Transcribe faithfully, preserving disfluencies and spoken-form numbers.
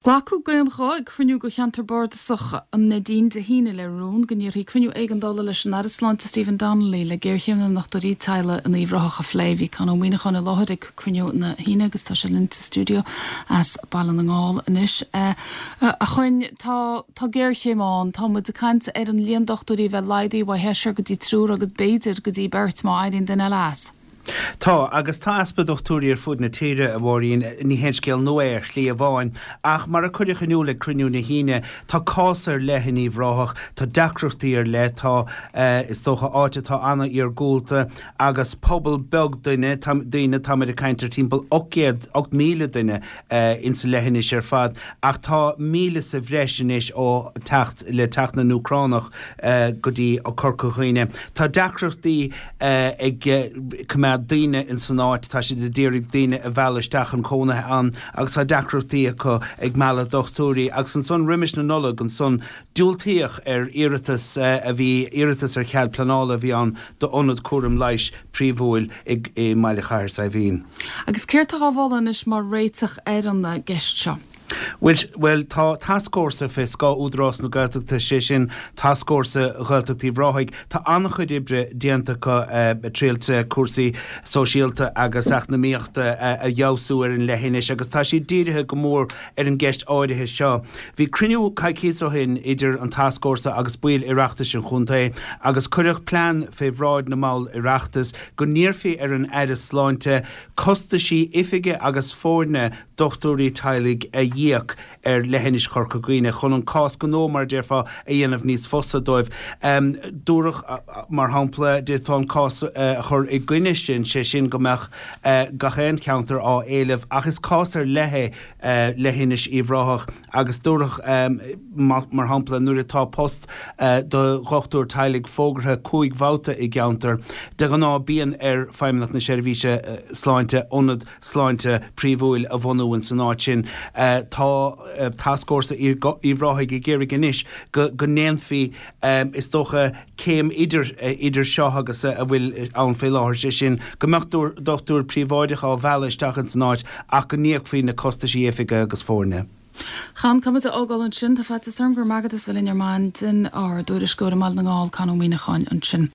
Glacadh d'aon ghuth ag cruinniú de cheantar bardasach an Neidín Dé hAoine le rún go n-iarrfaí cruinniú éigeandála leis an Aire Sláinte Stephen Donnelly le géarchéim na ndochtúirí teaghlaigh in Uíbh Ráthach a phlé. Bhí Con Ó Muíneacháin i láthair ag cruinniú na hAoine agus tá sé linn sa stiúideo as Baile na nGall anois. A Choinn tá tá géarchéim ann, tá muid ag caint ar an líon dochtúirí bheith laghdaithe ó sheisear go dtí triúr agus b'fhéidir go dtí beirt má éiríonn duine eile as. Tá agus tá easpa dochtúirí ar fud na tíre a Mháirín ní haon scéal nua ar shlí amháin, ach mar a cuireadh in iúl ag cruinniú na hAoine, tá cás ar leith in Uíbh Ráthach, tá deacrachtaí ar leith, tá is dócha áit atá an-iargúlta agus pobal beag duine daoine táimid ag caint ar timpeall ocht ocht míle duine insa leithinis ar fad, ach tá míle sa bhreis anois ó teacht le teacht na nÚcránach go dtí Corca Dhuibhne. Tá deacrachtaí ag coimeád daoine in san áit tá siad ag iarraidh daoine a mhealladh isteach chun cónaithe ann agus tá deacrachtaí acu ag mealladh dochtúirí agus ansan roimis na Nollag ansan diúltaíodh ar iarratas a bhí iarratas ar chead pleanála a bhí ann d'ionad cúram leighis príomhúil i mBaile Chathair Saidhbhín. Agus céard atá á mholadh anois mar réiteach ar an gceist seo? Well, well tá tascfhórsa fé scáth Údarás na Gaeltachta sé sin tascfhórsa Ghaeltacht Uíbh Ráthaigh Tá an-chuid oibre déanta acu triailte cúrsaí sóisialta agus eacnamaíochta a fheabhsú ar an leithinis agus tá siad dírithe go mór ar an gceist áirithe seo. Bhí cruinniú coicís ó shin idir an tascfhórsa agus baill Oireachtais an chontae agus cuireadh plean fé bhráid na mball Oireachtais go n-iarrfaí ar an Aire Sláinte costaisí oifige agus foirne dochtúirí teaghlaigh a íoc ar leithinis Chorca Dhuibhne chun an cás gnó mar déarfá a dhéanamh níos fusa dóibh. Um, dúradh mar shampla d'fhéadfá an cás a chur i gcoinne sin sé sin go mbeadh uh, gach aon cheantar á éileamh ach is cás ar leith uh, leithinis Uíbh Ráthach agus dúradh um, mar shampla nuair atá post uh, do dhochtúir teaghlaigh fógartha cúig bhabhta i gceantar de ghnáth bíonn ar Feidhmeannacht na Seirbhíse uh, sláinte ionad sláinte príomhúil a bhunú in san áit sin. Uh, tá uh, tascfhórsa Uíbh Ráthaigh ag iarraidh anois go, go ndéanfaí um, is dócha céim idir, uh, idir seo agus uh, a bhfuil ann fé láthair sé sin go mbeadh dochtúir príobháideach á mhealladh isteach in san áit ach go n-íocfaí na costaisí oifige agus foirne. Chan com ágáil ansin tá faitíos orm gur magadh bhfuil ar maidin ár dtuairisceoir i mBaile na nGall Con Ó Muíneacháin ansin.